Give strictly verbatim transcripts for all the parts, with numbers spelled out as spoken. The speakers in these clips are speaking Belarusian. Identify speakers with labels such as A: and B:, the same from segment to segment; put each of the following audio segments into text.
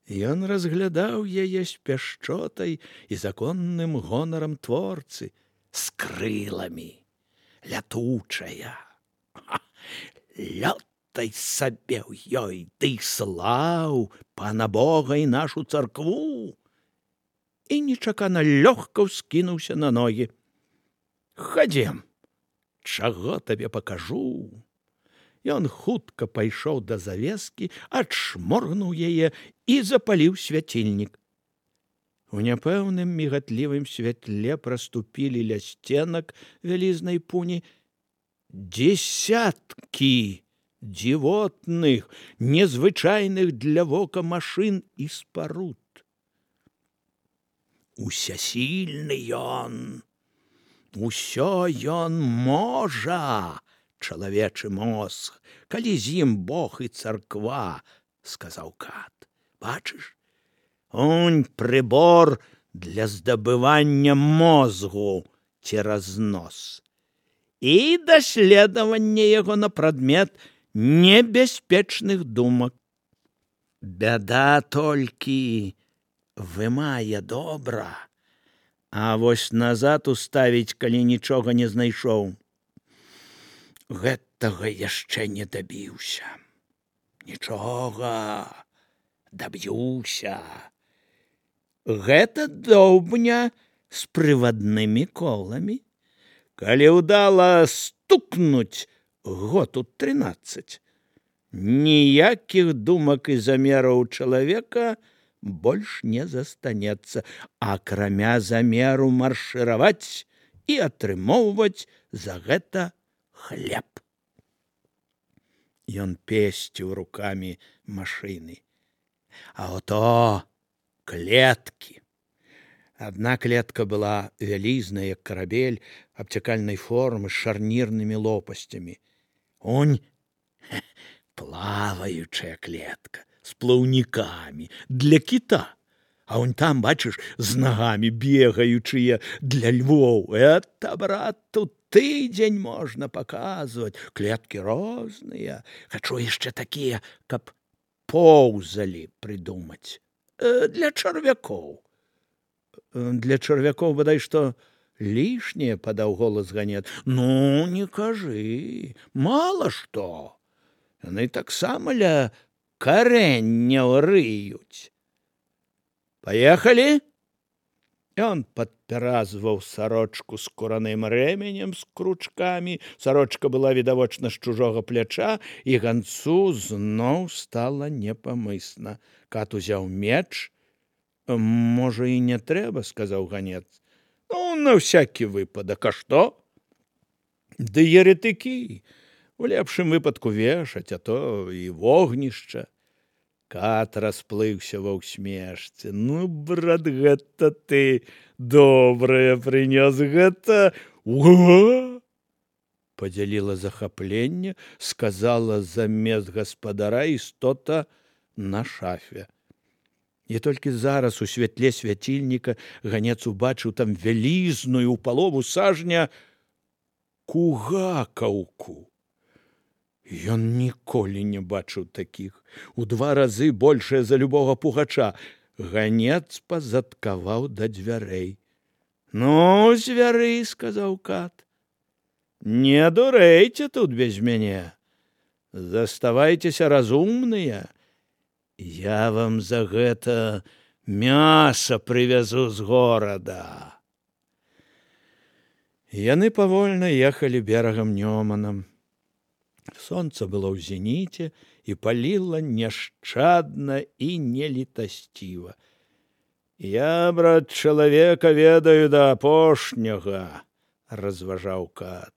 A: Ён разглядаў яе з пяшчотай і законным гонарам творцы, з крыламі, лятучая. Лётай сабе ў ёй, ды слаў пана Бога і нашу царкву. І нечакана лёгка ўскінуўся на ногі. Хадзем, чаго табе пакажу. Ён хутка пайшоў да завескі, адшморгнуў яе і запаліў свяцільнік. У няпэўным мігатлівым святле праступілі ля сценак вялізнай пуні дзесяткі дзівотных, незвычайных для вока машын і спаруд. Усясільны ён, усё ён можа, чалавечы мозг, калі з ім Бог і царква, сказаў кат. Бачыш, унь прыбор для здабывання мозгу цераз нос і даследавання яго на прадмет небяспечных думак. Бяда толькі вымае добра, а вось назад уставіць, калі нічога не знайшоў. Гэтага яшчэ не дабіўся. Нічога, даб'юся. Гэта доўбня з прываднымі коламі. Калі ўдала стукнуць год у трынаццаць, ніякіх думак і замераў чалавека больш не застанецца, акрамя замеру маршыраваць і атрымоўваць за гэта хлеб. Ён песціў рукамі машыны. А ото клеткі. Адна клетка была вялізная, як карабель, абцякальнай формы з шарнірнымі лопасцямі. Унь плаваючая клетка з плаўнікамі для кіта. А унь там, бачыш, з нагамі бегаючыя для львоў. Это, брат, тут тыдзень можна паказваць. Клеткі розныя. Хачу яшчэ такія, каб поўзалі прыдумаць. Для чарвякоў. Для чарвякоў, бадай што, лішняе, падаў голас ганец. Ну, не кажы, мала што. Яны таксама ля карэнняў рыюць. Паехалі? Ён падпяразваў сарочку скураным рэмянем з кручкамі. Сарочка была відавочна з чужога пляча, і ганцу зноў стала непамысна. Кат узяў меч. Можа, і не трэба, сказаў ганец. Ну, на всякі выпадак, а што? Ды еретыкі. У лепшым выпадку вешаць, а то і вогнішча. Кат расплыўся ва ўсмешцы. Ну, брат, гэта ты добрае прынёс, гэта... Уа! Падзяліла захапленне, сказала замест гаспадара істота на шафе. І толькі зараз у святле свяцільніка ганец убачыў там вялізную ў палову сажня кугакаўку. Ён ніколі не бачыў такіх, у два разы большая за любога пугача. Ганец пазадкаваў да дзвярэй. Ну, звяры, сказаў кат, не дурэйце тут без мяне. Заставайцеся разумныя. Я вам за гэта мяса прывязу з горада. Яны павольна ехалі берагам Нёманам. Сонца было ў зеніце і паліла няшчадна і нелітасціва. Я, брат, чалавека ведаю да апошняга, разважаў кат,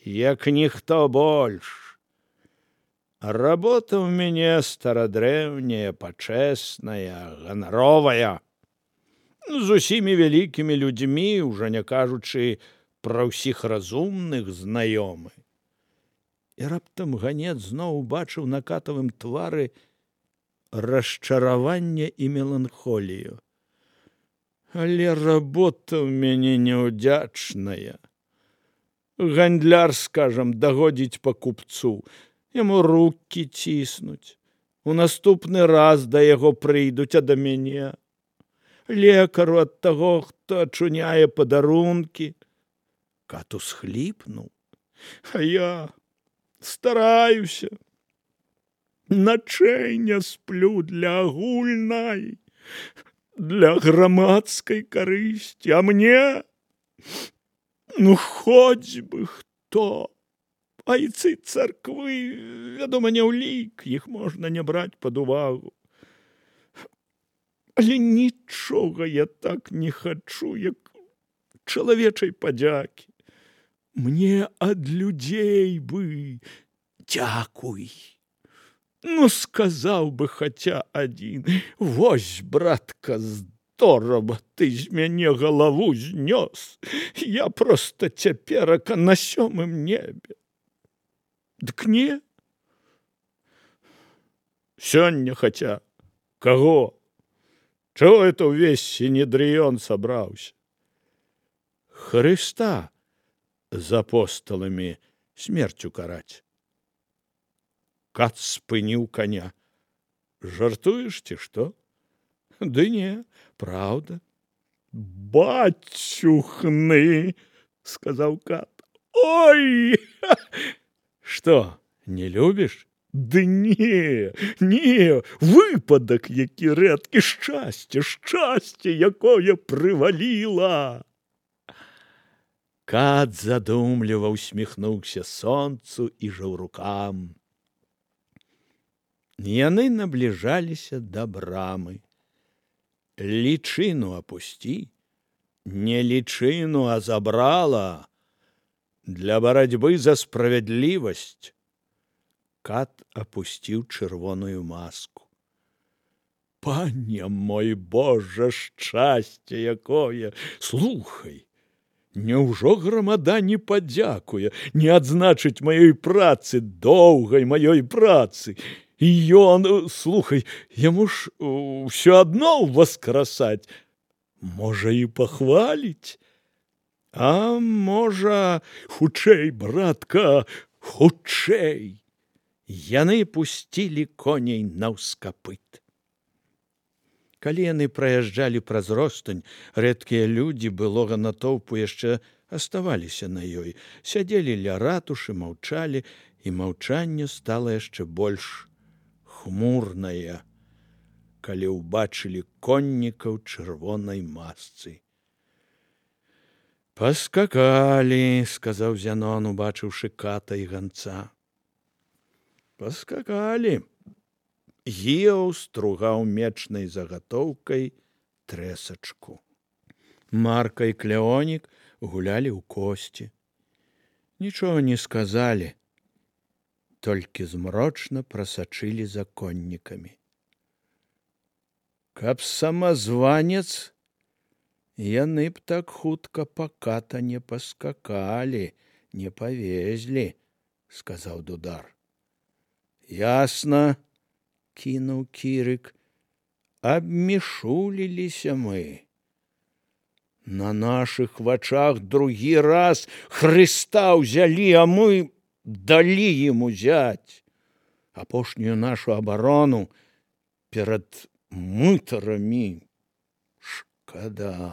A: як ніхто больш. Работа ў мяне старадрэўняя, пачэсная, ганаровая. З усімі вялікімі людзьмі, ужо не кажучы пра ўсіх разумных, знаёмы. І раптам ганец зноў убачыў на катавым твары расчараванне і меланхолію. Але работа ў мяне няўдзячная. Гандляр, скажам, дагодзіць па купцу, яму рукі ціснуць. У наступны раз да яго прыйдуць, а да мяне. Лекару ад таго, хто ачуняе падарункі. Кат усхліпнуў. А я стараюся. Начэй не сплю для агульнай, для грамадскай карысці, а мне, ну, хоць бы хто. Айцы царквы, вядома, не ўлік, іх можна не браць пад увагу. Але нічога я так не хачу, як чалавечай падзякі. Мне ад людзей бы дзякуй. Ну, сказаў бы хаця адзін: вось, братка, здорава, ты з мяне галаву знёс. Я проста цяперака на сёмым небе. Дык не. Сёння хаця каго? Чаго это ўвесь сінедрыён сабраўся? Хрыста з апосталамі смерцю караць. Кат спыніў коня. Жартуеш ці што? Ды не, праўда. Бацюхны, сказаў кат. Ой! Што, не любіш? Ды не, не, выпадак які рэдкі, шчасце, шчасце, якое прываліла. Кат задумліва усміхнуўся сонцу і жаўрукам. Яны набліжаліся да брамы. Лічыну апусці, не лічыну, а забрала для барацьбы за справядлівасць. Кат апусціў чырвоную маску. Пане мой Божа, шчасце якое! Слухай, няўжо грамада не падзякуе, не адзначыць маёй працы, доўгай маёй працы? І ён, слухай, яму ж усё адно ўваскрасаць. Можа, і пахваліць? А можа, хутчэй, братка, хутчэй. Яны пусцілі коней наўскапыт. Калі яны праязджалі праз ростань, рэдкія людзі былога натоўпу яшчэ аставаліся на ёй, сядзелі ля ратушы, маўчалі, і маўчанне стала яшчэ больш хмурная, калі ўбачылі коннікаў чырвонай масцы. Паскакалі, сказаў Зянон, убачыўшы ката і ганца. Паскакалі. Гіяў стругаў мечнай загатоўкай трэсачку. Марка і Клеонік гулялі ў косці. Нічога не сказалі, толькі змрочна прасачылі за коннікамі. Каб самазванец, яны б так хутка па ката не паскакалі, не павезлі, сказаў Дудар. Ясна, кінуў Кірык, абмішуліліся мы. На нашых вачах другі раз Хрыста ўзялі, а мы далі ім узяць. Апошнюю нашу абарону перад мытарамі. Шкада.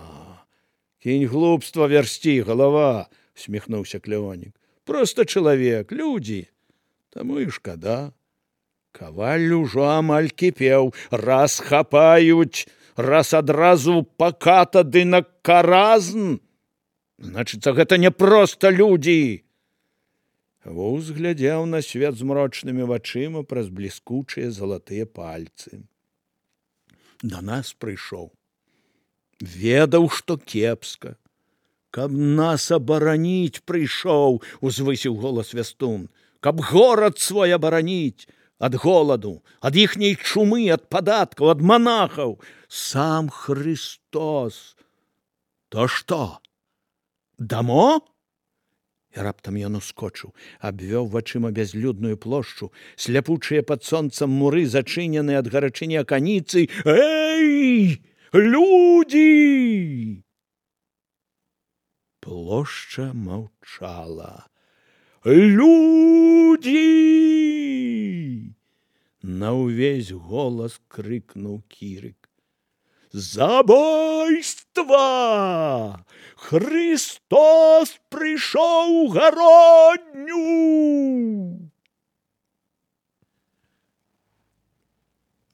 A: Кінь глупства вярсці, галава, усміхнуўся Клеонік. Проста чалавек, людзі, таму і шкада. Каваль ужо амаль кіпеў, раз хапаюць, раз адразу па ката ды на каразн. Значыцца, гэта не проста людзі. Вуз глядзеў на свет змрочнымі вачыма праз бліскучыя залатыя пальцы. Да нас прыйшоў. Ведаў, што кепска. Каб нас абараніць прыйшоў, узвысіў голас Вястун. Каб горад свой абараніць ад голаду, ад іхняй чумы, ад падаткаў, ад манахаў. Сам Хрыстос. То што? Дамо? І раптам ён ускочыў, абвёў вачыма бязлюдную плошчу, сляпучыя пад сонцам муры, зачыненыя ад гарачыні аканіцы. Эй, людзі! Плошча маўчала. Людзі! На ўвесь голас крыкнуў Кірык. Забойства! Христос прыйшоў у гародню!